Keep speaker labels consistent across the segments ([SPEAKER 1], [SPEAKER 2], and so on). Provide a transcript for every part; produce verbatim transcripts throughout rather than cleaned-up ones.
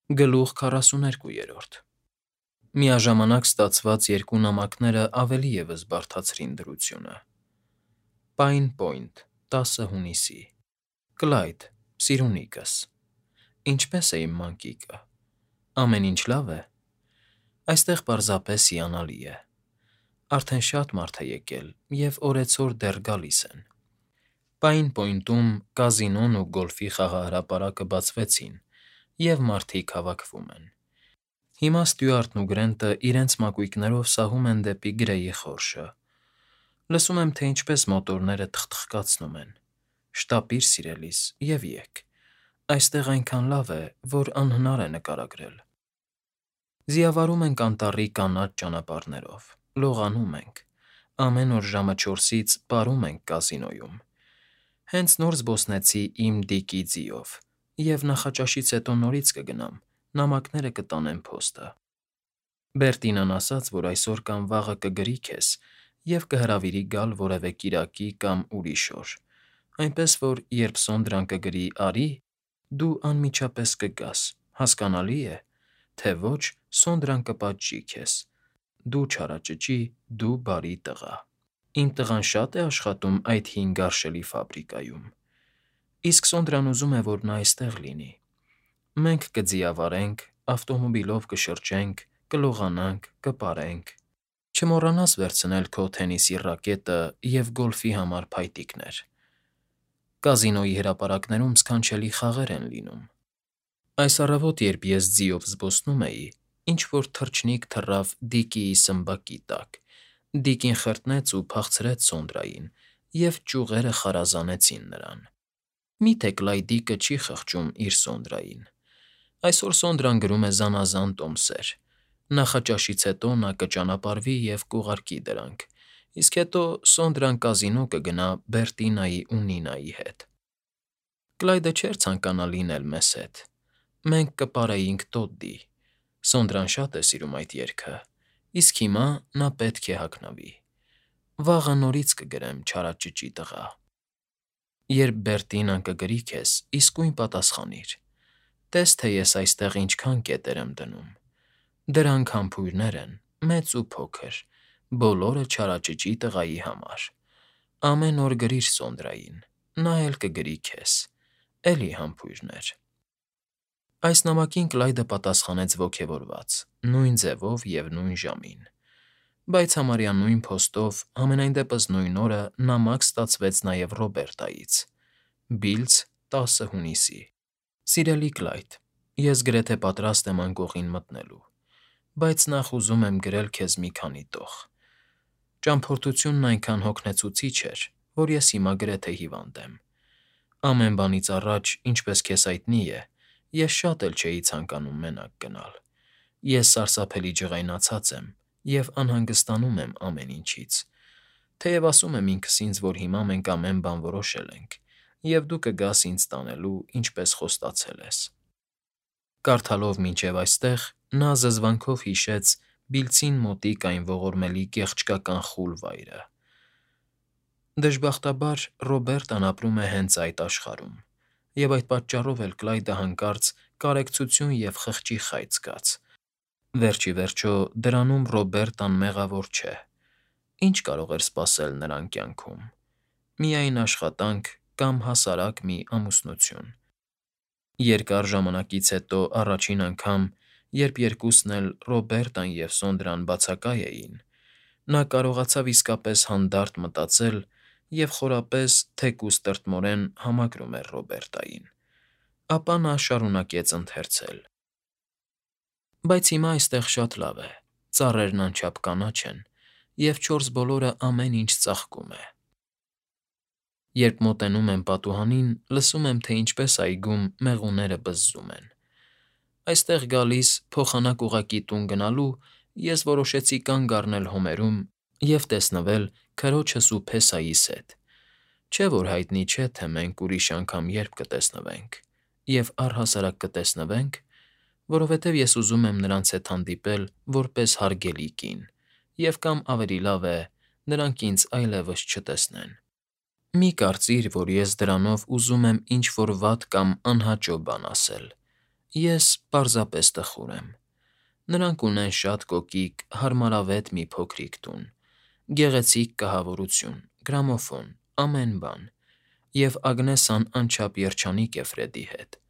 [SPEAKER 1] Գլուխ քառասուներկու։ Միաժամանակ ստացված երկու նամակները ավելի ևս բարդացրին դրությունը։ Պայն Պոյնթ, տասը հունիսի։ Կլայդ, սիրունիկս, ինչպե՞ս է իմ մանկիկը, ամեն ինչ լավ է։ Այստեղ պարզապես հիանալի է։ Արդեն շատ մարդ է եկել, և օրեցօր դեռ գալիս են։ Պայն Պոյնթում կազինոն ու գոլֆի խաղահրապարակը բացվեցին, և մարդիկ հավաքվում են։ Հիմա Ստյուարտն ու Գրենտը իրենց մակույկներով սահում են դեպի Գրեյի խորշը։ Լսում եմ, թե ինչպես մոտորները թխթխկացնում են։ Շտապիր, սիրելիս, և եկ։ Այստեղ այնքան լավ է, որ անհնար է նկարագրել։ Զիավարում ենք անտառի կանաչ ճանապարհներով, լողանում ենք, ամեն օր ժամը չորսից պարում ենք կազինոյում։ Հենց նոր զբոսնեցի իմ Դիկի ձիով, և նախաճաշից հետո նորից կգնամ, նամակները կտանեմ փոստը։ Բերտինան ասաց, որ այսօր կամ վաղը կգրի քեզ և կհրավիրի գալ որևէ կիրակի կամ ուրիշ օր, այնպես որ, երբ Սոնդրան կգրի «արի», դու անմիջապես կգաս, հասկանալի է, թե ոչ Սոնդրան կպատժի քեզ, դու չարաճճի, դու բարի տղա։ Իմ տղան շա՞տ է աշխատում այդ հին գարշելի ֆաբրիկայում։ Իսկ Սոնդրան ուզում է, որ նա այստեղ լինի։ Մենք կձիավարենք, ավտոմոբիլով կշրջենք, կլողանանք, կպարենք։ Չմոռանաս վերցնել քո թենիսի ռակետը և գոլֆի համար փայտիկներ։ Կազինոյի հրապարակներում սքանչելի խաղեր են լինում։ Այս առավոտ, երբ ես ձիով զբոսնում էի, ինչ֊որ թռչնիկ թռավ Դիկիի սմբակի տակ, Դիկին խրտնեց ու փախցրեց Սոնդրային, և ճյուղերը խարազանեցին նրան։ Մի՞թե Կլայդիկը չի խղճում իր Սոնդրային։ Այսօր Սոնդրան գրում է զանազան տոմսեր։ Նախաճաշից հետո նա կճանապարհվի և կուղարկի դրանք, իսկ հետո Սոնդրան կազինո կգնա Բերտինայի ու Նինայի հետ։ Կլայդը չէր ցանկանա լինել մեզ հետ։ Մենք կպարեինք Տոդդի։ Սոնդրան շատ է սիրում այդ երգը, իսկ հիմա նա պետք է հագնվի։ Վաղը նորից կգրեմ, չարաճճի տղա։ Երբ Բերտինան կգրի քեզ, իսկույն պատասխանիր։ Տես, թե ես այստեղ ինչքան կետեր եմ դնում։ Դրանք համբույրներ են, մեծ ու փոքր, բոլորը չարաճճի տղայի համար։ Ամեն օր գրիր Սոնդրային, նա էլ կգրի քեզ, էլի համբույրներ։ Այս նամակին Կլայդը պատասխանեց ոգևորված, նույն ձևով և նույն ժամին։ Բայց համարյա նույն փոստով, համենայն դեպս նույն օրը նամակ ստացվեց նաև Ռոբերտայից։ Բիլձ, տասը հունիսի։ Սիրելի Կլայդ, ես գրեթե պատրաստ եմ անկողին մտնելու, բայց նախ ուզում եմ գրել քեզ մի քանի տող։ Ճամփորդությունն այնքան հոգնեցուցիչ էր, որ ես հիմա գրեթե հիվանդ եմ։ Ամեն բանից առաջ, ինչպես քեզ հայտնի է, ես շատ էլ չէի ցանկանում մենակ գնալ։ Ես սարսափելի ջղայնացած եմ և անհանգստանում եմ ամեն ինչից, թեև ասում եմ ինքս ինձ, որ հիմա մենք ամեն բան որոշել ենք, և դու կգաս ինձ տանելու, ինչպես խոստացել ես։ Կարդալով մինչև այստեղ՝ նա զզվանքով հիշեց Բիլձին մոտիկ այն ողորմելի գեղչկական խուլ վայրը։ Դժբախտաբար, Ռոբերտան ապրում է հենց այդ աշխարհում, և այդ պատճառով էլ Կլայդը հանկարծ կարեկցություն և խղճի խայծ զգաց։ Վերջ ի վերջո, դրանում Ռոբերտան մեղավոր չէ։ Ի՞նչ կարող էր սպասել նրան կյանքում։ Միայն աշխատանք կամ հասարակ մի ամուսնություն։ Երկար ժամանակից հետո առաջին անգամ, երբ երկուսն էլ՝ Ռոբերտան և Սոնդրան բացակայ էին, նա կարողացավ իսկապես հանդարտ մտածել և խորապես, թեկուզ տրտմորեն համակրում էր Ռոբերտային։ Ապա նա շարունակեց ընթերցել. Բայց հիմա այստեղ շատ լավ է, ծառերն անչափ կանաչ են, և չորս բոլորը ամեն ինչ ծաղկում է։ Երբ մոտենում եմ պատուհանին, լսում եմ, թե ինչպես այգում մեղուները բզզում են։ Այստեղ գալիս, փոխանակ ուղղակի տուն գնալու, ես որոշեցի կանգ առնել հոմերում և տեսնվել քրոջս ու Փեսայիս հետ։ Չէ՞ որ հայտնի չէ, թե մենք ուրիշ անգամ երբ կտեսնվենք, և առհասարակ կտեսնվենք, որովհետև ես ուզում եմ նրանց հետ հանդիպել որպես հարգելի կին, և կամ ավելի լավ է, նրանք ինձ այլևս չտեսնեն։ Մի կարծիր, որ ես դրանով ուզում եմ ինչ֊որ վատ կամ անհաճո բան ասել։ Ես պարզապես տխուր եմ։ Նրանք ունեն շատ կոկիկ, հարմարավետ մի փոքրիկ տուն, գեղեցիկ կահավորություն, գրամոֆոն, ամեն բան, և Ագնեսան անչափ երջանիկ է Ֆրեդի հետ։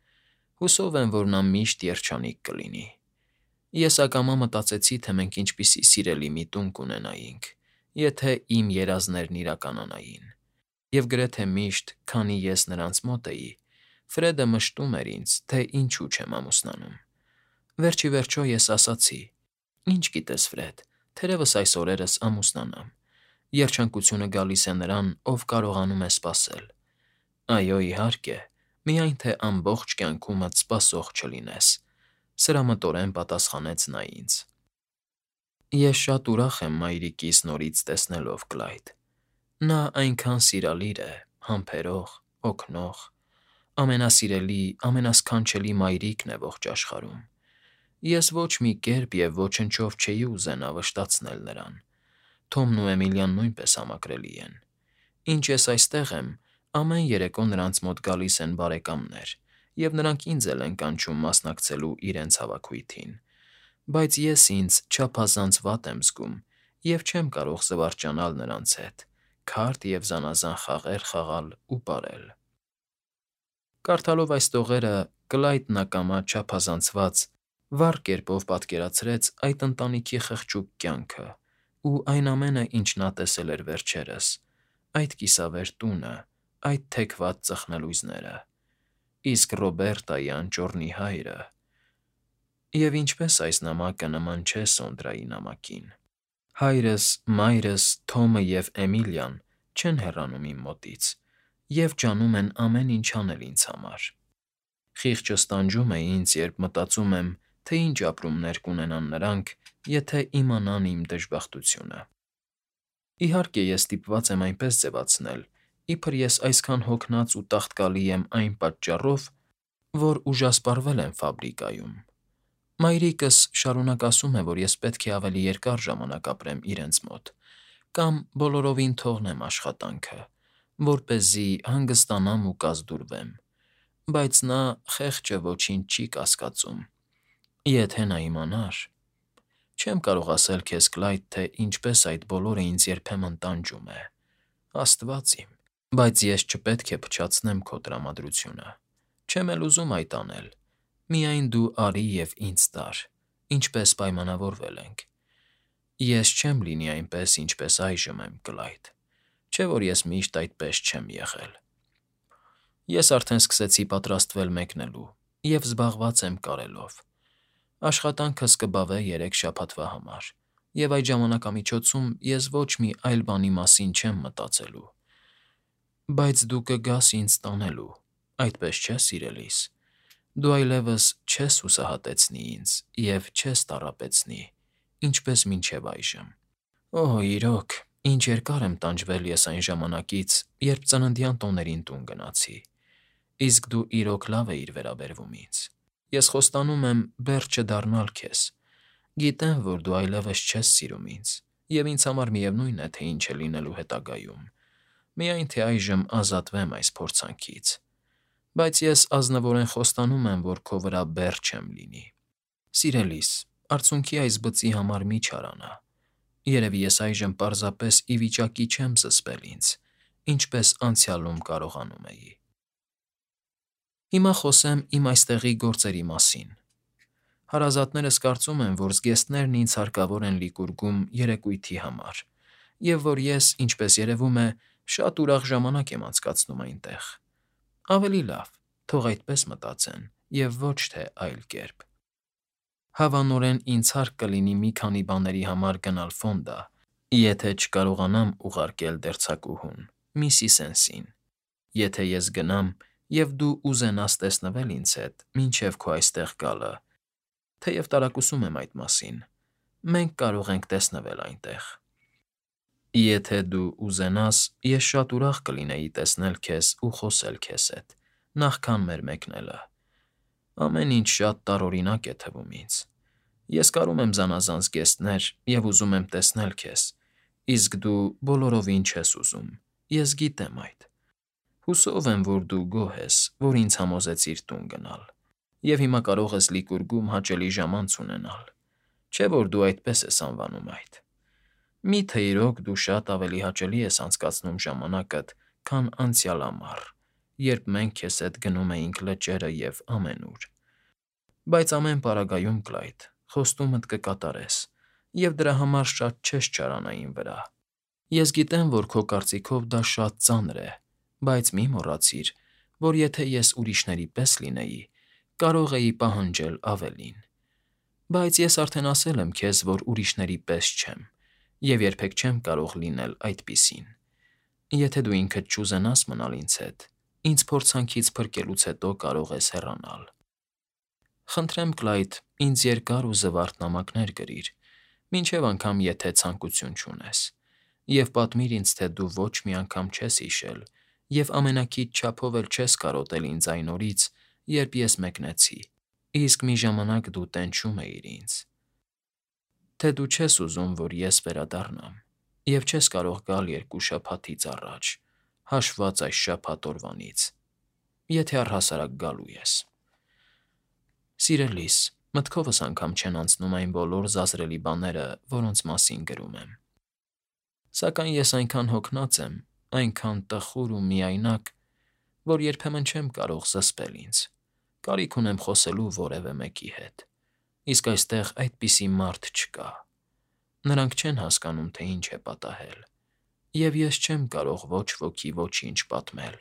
[SPEAKER 1] Հուսով եմ, որ նա միշտ երջանիկ կլինի։ Ես ակամա մտածեցի, թե մենք ինչպիսի սիրելի մի տուն կունենայինք, եթե իմ երազներն իրականանային։ Եվ գրեթե միշտ, քանի ես նրանց մոտ էի, Ֆրեդը մշտում էր ինձ, թե ինչու չեմ ամուսնանում։ Վերջ ի վերջո ես ասացի. «Ինչ գիտես, Ֆրեդ, թերևս այս օրերս ամուսնանամ։ Երջանկությունը գալիս է նրան, ով կարողանում է սպասել»։ «Այո, իհարկե, միայն թե ամբողջ կյանքումդ սպասող չլինես», սրամտորեն պատասխանեց նա ինձ։ Ես շատ ուրախ եմ մայրիկիս նորից տեսնելով, Կլայդ։ Նա այնքան սիրալիր է, համբերող, օգնող, ամենասիրելի, ամենասքանչելի մայրիկն է ողջ աշխարհում։ Ես ոչ մի կերպ և ոչնչով չէի ուզենա վշտացնել նրան։ Թոմն ու Էմիլիան նույնպես համակրելի են։ Ինչ ես այստեղ եմ, ամեն երեկո նրանց մոտ գալիս են բարեկամներ, և նրանք ինձ էլ են կանչում մասնակցելու իրենց հավաքույթին։ Բայց ես ինձ չափազանց վատ եմ զգում և չեմ կարող զվարճանալ նրանց հետ, քարտ և զանազան խաղեր խաղալ ու պարել։ Կարդալով այս տողերը՝ Կլայդն ակամա չափազանցված, վառ կերպով պատկերացրեց այդ ընտանիքի խղճուկ կյանքը ու այն ամենը, ինչ նա տեսել էր վերջերս, այդ կիսավեր տունը, այդ թեքված ծխնելույզները, իսկ Ռոբերտայի անճոռնի հայրը… Եվ ինչպես այս նամակը նման չէ Սոնդրայի նամակին։ Հայրս, մայրս, Թոմը և Էմիլիան չեն հեռանում իմ մոտից և ջանում են ամեն ինչ անել ինձ համար։ Խիղճս տանջում է ինձ, երբ մտածում եմ, թե ինչ ապրումներ կունենան նրանք, եթե իմանան իմ դժբախտությունը։ Իհարկե, ես ստիպված եմ այնպես ձևացնել, իբր ես այսքան հոգնած ու տաղտկալի եմ այն պատճառով, որ ուժասպառվել եմ ֆաբրիկայում։ Մայրիկս շարունակ ասում է, որ ես պետք է ավելի երկար ժամանակ ապրեմ իրենց մոտ կամ բոլորովին թողնեմ աշխատանքը, որպեսզի հանգստանամ ու կազդուրվեմ, բայց նա, խեղճը, ոչինչ չի կասկածում։ Եթե նա իմանար… Չեմ կարող ասել քեզ, Կլայդ, թե ինչպես այդ բոլորը ինձ երբեմն տանջում է, աստված իմ… Բայց ես չպետք է փչացնեմ քո տրամադրությունը։ Չեմ էլ ուզում այդ անել, միայն դու արի և ինձ տար, ինչպես պայմանավորվել ենք։ Ես չեմ լինի այնպես, ինչպես այժմ եմ, Կլայդ, չէ՞ որ ես միշտ այդպես չեմ եղել։ Ես արդեն սկսեցի պատրաստվել մեկնելու և զբաղված եմ կարելով։ Աշխատանքս կբավե երեք շաբաթվա համար, և այդ ժամանակամիջոցում ես ոչ մի այլ բանի մասին չեմ մտածելու։ Բայց դու կգաս ինձ տանելու, այդպես չէ՞, սիրելիս։ Դու այլևս չես հուսահատեցնի ինձ և չես տառապեցնի, ինչպես մինչև այժմ։ Օհ, իրոք, ինչ երկար եմ տանջվել ես այն ժամանակից, երբ ծննդյան տոներին տուն գնացի, իսկ դու իրոք լավ էիր վերաբերվում ինձ։ Ես խոստանում եմ բեռ չդառնալ քեզ։ Գիտեմ, որ դու այլևս չես սիրում ինձ, և ինձ համար միևնույն է, թե ինչ է լինելու հետագայում, միայն թե այժմ ազատվեմ այս փորձանքից։ Բայց ես ազնվորեն խոստանում եմ, որ քո վրա բեռ չեմ լինի։ Սիրելիս, արցունքի այս բծի համար մի չարանա։ Երևի ես այժմ պարզապես ի վիճակի չեմ զսպել ինձ, ինչպես անցյալում կարողանում էի։ Հիմա խոսեմ իմ այստեղի գործերի մասին։ Հարազատներս կարծում են, որ զգեստներն ինձ հարկավոր են Լիկուրգում երեկույթի համար, և որ ես, ինչպես երևում է, շատ ուրախ ժամանակ եմ անցկացնում այնտեղ։ Ավելի լավ, թող այդպես մտածեն, և ոչ թե այլ կերպ։ Հավանորեն ինձ հարկ կլինի մի քանի բաների համար գնալ Ֆոնդա, եթե չկարողանամ ուղարկել դերձակուհուն՝ միսիս Էնսին։ Եթե ես գնամ, և դու ուզենաս տեսնվել ինձ հետ մինչև քո այստեղ գալը, թեև տարակուսում եմ այդ մասին, մենք կարող ենք տեսնվել այնտեղ։ Եթե դու ուզենաս, ես շատ ուրախ կլինեի տեսնել քեզ ու խոսել քեզ հետ, նախքան մեր մեկնելը։ Ամեն ինչ շատ տարօրինակ է թվում ինձ։ Ես կարում եմ զանազան զգեստներ և ուզում եմ տեսնել քեզ, իսկ դու բոլորովին չես ուզում, ես գիտեմ այդ։ Հուսով եմ, որ դու գոհ ես, որ ինձ համոզեցիր տուն գնալ։ Եվ հիմա կարող ես Լիկուրգում հաճելի ժամանց ունենալ, չէ՞ որ դու այդպես ես անվանում այդ։ Մի՞թե իրոք դու շատ ավելի հաճելի ես անցկացնում ժամանակդ, քան անցյալ ամառ, երբ մենք քեզ հետ գնում էինք լճերը և ամենուր։ Բայց ամեն պարագայում, Կլայդ, խոստումդ կկատարես, և դրա համար շատ չես չարանա իմ վրա։ Ես գիտեմ, որ քո կարծիքով դա շատ ծանր է, բայց մի մոռացիր, որ եթե ես ուրիշների պես լինեի, կարող էի պահանջել ավելին։ Բայց ես արդեն ասել եմ քեզ, որ ուրիշների պես չեմ, և երբեք չեմ կարող լինել այդպիսին։ Եթե դու ինքդ չուզենաս մնալ ինձ հետ, ինձ փորձանքից փրկելուց հետո կարող ես հեռանալ։ Խնդրեմ, Կլայդ, ինձ երկար ու զվարթ նամակներ գրիր, մինչև անգամ եթե ցանկություն չունես, և պատմիր ինձ, թե դու ոչ մի անգամ չես հիշել և ամենաքիչ չափով էլ չես կարոտել ինձ այն օրից, երբ ես մեկնեցի, իսկ մի ժամանակ դու տենչում էիր ինձ, թե դու չես ուզում, որ ես վերադառնամ, և չես կարող գալ երկու շաբաթից առաջ, հաշված այս շաբաթ օրվանից, եթե առհասարակ գալու ես։ Սիրելիս, մտքովս անգամ չեն անցնում այն բոլոր զազրելի բաները, որոնց մասին գրում եմ։ Սակայն ես այնքան հոգնած եմ, այնքան տխուր ու միայնակ, որ երբեմն չեմ կարող զսպել ինձ, կարիք ունեմ խոսելու որևէ մեկի հետ, իսկ այստեղ այդպիսի մարդ չկա։ Նրանք չեն հասկանում, թե ինչ է պատահել, և ես չեմ կարող ոչ ոքի ոչինչ պատմել։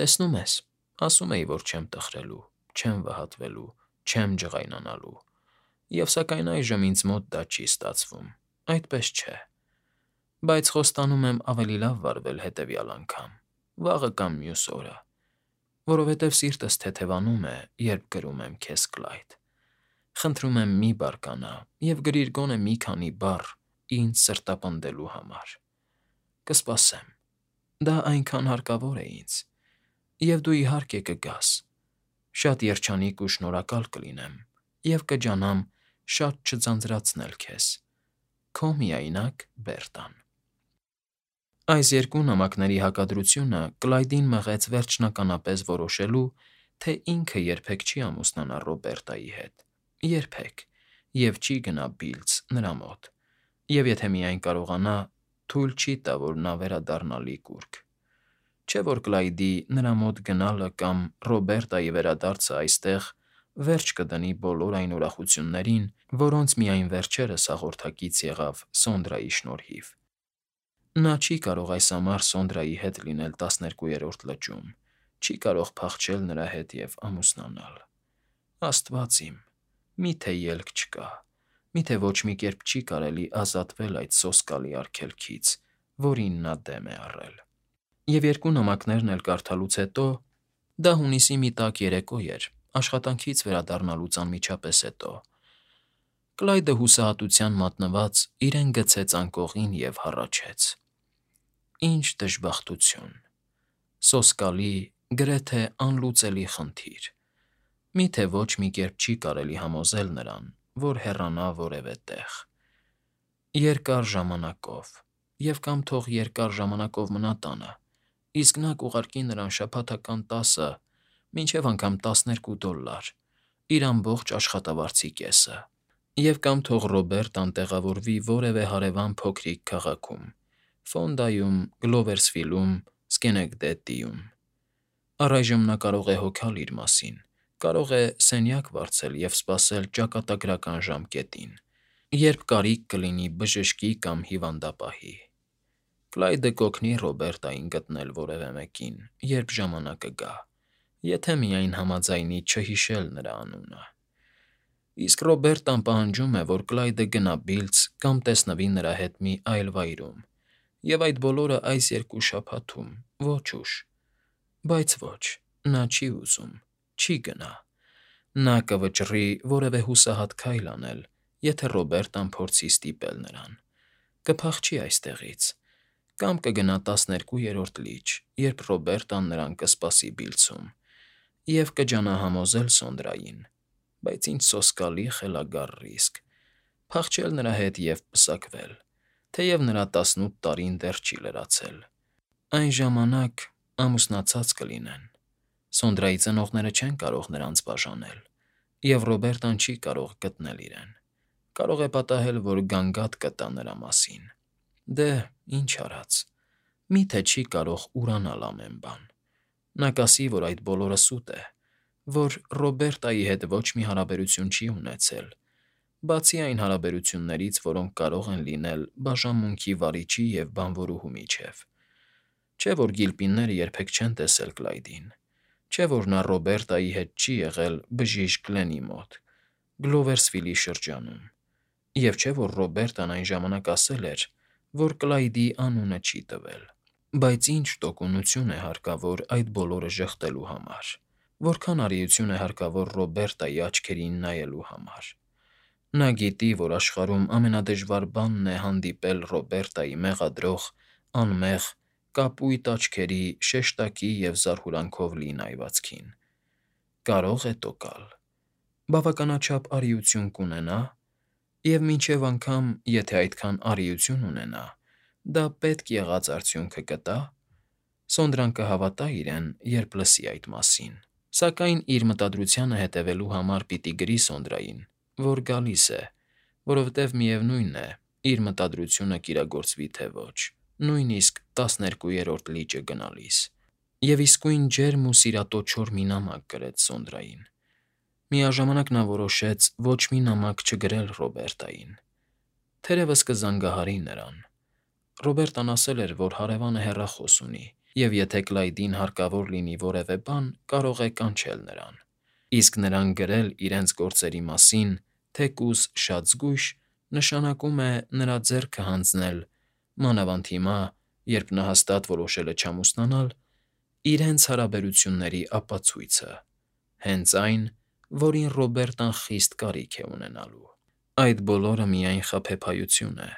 [SPEAKER 1] Տեսնում ես, ասում էի, որ չեմ տխրելու, չեմ վհատվելու, չեմ ջղայնանալու, և սակայն այժմ ինձ մոտ դա չի ստացվում, այդպես չէ։ Բայց խոստանում եմ ավելի լավ վարվել հետևյալ անգամ, վաղը կամ մյուս օրը, որովհետև սիրտս թեթևանում է, երբ գրում եմ քեզ, Կլայդ։ Խնդրում եմ, մի բարկանա և գրիր գոնե մի քանի բառ ինձ սրտապնդելու համար։ Կսպասեմ։ Դա այնքան հարկավոր է ինձ։ Եվ դու, իհարկե, կգաս։ Շատ երջանիկ ու շնորհակալ կլինեմ և կջանամ շատ չձանձրացնել քեզ։ Քո միայնակ Բերտան։ Այս երկու նամակների հակադրությունը Կլայդին մղեց վերջնականապես որոշելու, թե ինքը երբեք չի ամուսնանա Ռոբերտայի հետ, երբեք, և չի գնա Բիլձ նրա մոտ, և եթե միայն կարողանա, թույլ չի տա, որ նա վերադառնա Լիկուրգ։ Չէ՞ որ Կլայդի նրա մոտ գնալը կամ Ռոբերտայի վերադարձը այստեղ վերջ կդնի բոլոր այն ուրախություններին, որոնց միայն վերջերս հաղորդակից եղավ Սոնդրայի շնորհիվ։ Նա չի կարող այս ամառ Սոնդրայի հետ լինել տասներկուերորդ լճում, չի կարող փախչել նրա հետ և ամուսնանալ։ Աստված իմ, մի՞թե ելք չկա, մի՞թե ոչ մի կերպ չի կարելի ազատվել այդ սոսկալի արգելքից, որին նա դեմ է առել։ Եվ երկու նամակներն էլ կարդալուց հետո (դա հունիսի մի տաք երեկո էր, աշխատանքից վերադառնալուց անմիջապես հետո) Կլայդը հուսահատության մատնված իրեն գցեց անկողին և հառաչեց. «Ինչ դժբախտություն… Սոսկալի, գրեթե անլուծելի խնդիր… Մի՞թե ոչ մի կերպ չի կարելի համոզել նրան, որ հեռանա որևէ տեղ… Երկար ժամանակով, և կամ թող երկար ժամանակով մնա տանը, իսկ նա կուղարկի նրան շաբաթական տասը, մինչև անգամ տասներկու դոլլար, իր ամբողջ աշխատավարձի կեսը, և կամ թող Ռոբերտան տեղավորվի որևէ հարևան փոքրիկ քաղաքում՝ Ֆոնդայում, Գլովերսվիլում, Սքենեկդեդիում։ Առայժմ նա կարող է հոգալ իր մասին, կարող է սենյակ վարձել և սպասել ճակատագրական ժամկետին, երբ կարիք կլինի բժշկի կամ հիվանդապահի։ Կլայդը կօգնի Ռոբերտային գտնել որևէ մեկին, երբ ժամանակը գա, եթե միայն համաձայնի չհիշել նրա անունը։ Իսկ Ռոբերտան պահանջում է, որ Կլայդը գնա Բիլձ կամ տեսնվի նրա հետ մի այլ վայրում, և այդ բոլորը այս երկու շաբաթում, ոչ ուշ։ Բայց ոչ, նա չի ուզում, չի գնա։ Նա կվճռի որևէ հուսահատ քայլ անել, եթե Ռոբերտան փորձի ստիպել նրան, կփախչի այստեղից, կամ կգնա տասներկուերորդ լիճ, երբ Ռոբերտան նրան կսպասի Բիլձում, և կջանա համոզել Սոնդրային, բայց ինչ սոսկալի խելագար ռիսկ, փախչել նրա հետ և պսակվել, թեև նրա տասնութ տարին դեռ չի լրացել։ Այն ժամանակ ամուսնացած կլինեն, Սոնդրայի ծնողները չեն կարող նրանց բաժանել, և Ռոբերտան չի կարող գտնել իրեն։ Կարող է պատահել, որ գանգատ կտա նրա մասին։ Դե, ինչ արած, մի՞թե չի կարող ուրանալ ամեն բան։ Նա կասի, որ այդ բոլորը սուտ է, որ Ռոբերտայի հետ ոչ մի հարաբերություն չի ունեցել, բացի այն հարաբերություններից, որոնք կարող են լինել բաժանմունքի վարիչի և բանվորուհու միջև։ Չէ՞ որ Գիլպինները երբեք չեն տեսել Կլայդին, չէ՞ որ նա Ռոբերտայի հետ չի եղել բժիշկ Գլենի մոտ, Գլովերսվիլի շրջանում, և չէ՞ որ Ռոբերտան այն ժամանակ ասել էր, որ Կլայդի անունը չի տվել։ Բայց ինչ տոկունություն է հարկավոր այդ բոլորը ժխտելու համար, որքան արիություն է հարկավոր Ռոբերտայի աչքերին նայելու համար։ Նա գիտի, որ աշխարհում ամենադժվար բանն է հանդիպել Ռոբերտայի մեղադրող, անմեղ, կապույտ աչքերի շեշտակի և զարհուրանքով լի նայվածքին։ Կարո՞ղ է տոկալ։ Բավականաչափ արիություն կունենա՞, և մինչև անգամ, եթե այդքան արիություն ունենա, դա պետք եղած արդյունքը կտա՞։ Սոնդրան կհավատա իրեն, երբ լսի այդ մասին, սակայն իր մտադրությանը հետևելու համար պիտի գրի Սոնդրային, որ գալիս է, որովհետև միևնույն է, իր մտադրությունը կիրագործվի թե ոչ, նույնիսկ տասներկուերորդ լիճը գնալիս։ Եվ իսկույն ջերմ ու սիրատոչոր մի նամակ գրեց Սոնդրային։ Միաժամանակ նա որոշեց ոչ մի նամակ չգրել Ռոբերտային։ Թերևս կզանգահարի նրան։ Ռոբերտան ասել էր, որ հարևանը հեռախոս ունի, և եթե Կլայդին հարկավոր լինի որևէ բան, կարող է կանչել նրան։ Իսկ նրան գրել իրենց գործերի մասին, թեկուզ շատ զգույշ, նշանակում է նրա ձեռքը հանձնել, մանավանդ հիմա, երբ նա հաստատ որոշել է չամուսնանալ, իրենց հարաբերությունների ապացույցը, հենց այն, որին Ռոբերտան խիստ կարիք է ունենալու։ Այդ բոլորը միայն խաբեբայություն է։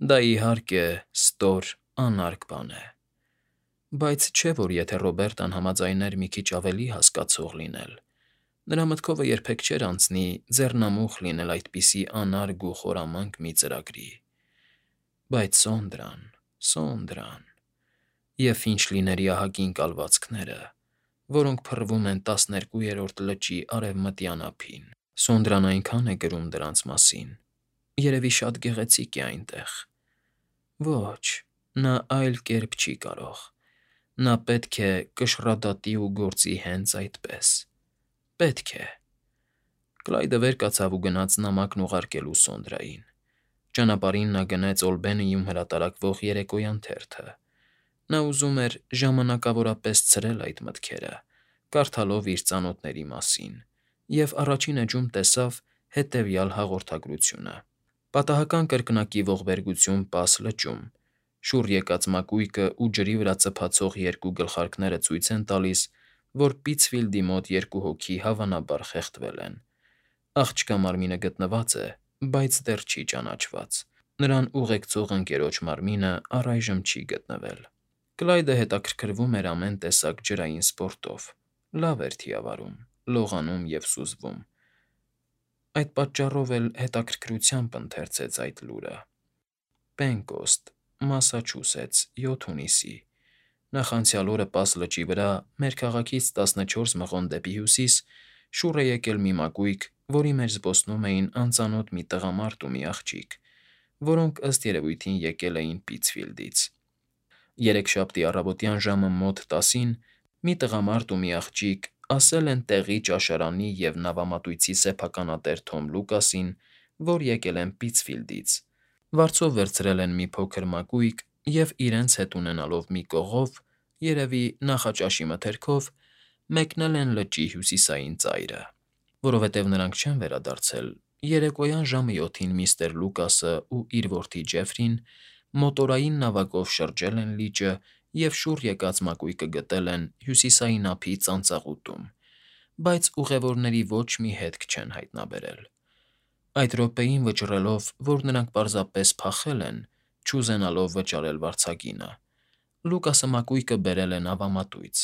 [SPEAKER 1] Դա, իհարկե, ստոր, անարգ բան է։ Բայց չէ՞ որ եթե Ռոբերտան համաձայներ մի քիչ ավելի հասկացող լինել, նրա մտքովը երբեք չէր անցնի ձեռնամուխ լինել այդպիսի անարգ ու խորամանկ մի ծրագրի։ Բայց Սոնդրան… Սոնդրան… Եվ Ֆինչլիների ահագին կալվածքները, որոնք փռվում են տասներկուերորդ լճի արևմտյան ափին… Սոնդրան այնքան է գրում դրանց մասին… Երևի շատ գեղեցիկ է այնտեղ… Ոչ, նա այլ կերպ չի կարող… Նա պետք է կշռադատի ու գործի հենց այդպես… Պետք է… Կլայդը վեր կացավ ու գնաց նամակն ուղարկելու Սոնդրային։ Ճանապարհին նա գնեց Օլբենիում հրատարակվող երեկոյան թերթը։ Նա ուզում էր ժամանակավորապես ցրել այդ մտքերը, կարդալով իր ծանոթների մասին, և առաջին էջում տեսավ հետևյալ հաղորդագրությունը. «Պատահական կրկնակի ողբերգություն Պաս լճում. շուռ եկած մակույկը ու ջրի վրա ծփացող երկու գլխարկները ցույց են տալիս, որ Պիցֆիլդի մոտ երկու հոգի հավանաբար խեղդվել են։ Աղջկա մարմինը գտնված է, բայց դեռ չի ճանաչված։ Նրան ուղեկցող ընկերոջ մարմինը առայժմ չի գտնվել»։ Կլայդը հետաքրքրվում էր ամեն տեսակ ջրային սպորտով, լավ էր թիավարում, լողանում և սուզվում։ Այդ պատճառով էլ հետաքրքրությամբ ընթերցեց այդ լուրը. «Պենկոստ, Մասաչուսեթս, յոթ հունիսի. Նախանցյալ օրը Պաս լճի վրա, մեր քաղաքից տասնչորս մղոն դեպի հյուսիս, շուռ է եկել մի մակույկ, որի մեջ զբոսնում էին անծանոթ մի տղամարդ ու մի աղջիկ, որոնք ըստ երևույթին եկել էին Պիցֆիլդից։ Երեքշաբթի առավոտյան ժամը մոտ տասին մի տղամարդ ու մի աղջիկ ասել են տեղի ճաշարանի և նավամատույցի սեփականատեր Թոմ Լուկասին, որ եկել են Պիցֆիլդից, վարձով վերցրել են մի փոքր մակույկ և իրենց հետ ունենալով մի կողով, երևի նախաճաշի մթերքով, մեկնել են լճի հյուսիսային ծայրը։ Որովհետև նրանք չեն վերադարձել, երեկոյան ժամը յոթին միստր Լուկասն ու իր որդի Ջեֆրին մոտորային նավակով շրջել են լիճը և շուռ եկած մակույկը գտել են հյուսիսային ափի ծանծաղուտում, բայց ուղևորների ոչ մի հետք չեն հայտնաբերել։ Այդ րոպեին վճռելով, որ նրանք պարզապես փախել են, չուզենալով վճարել վարձագինը, Լուկասը մակույկը բերել է նավամատույց,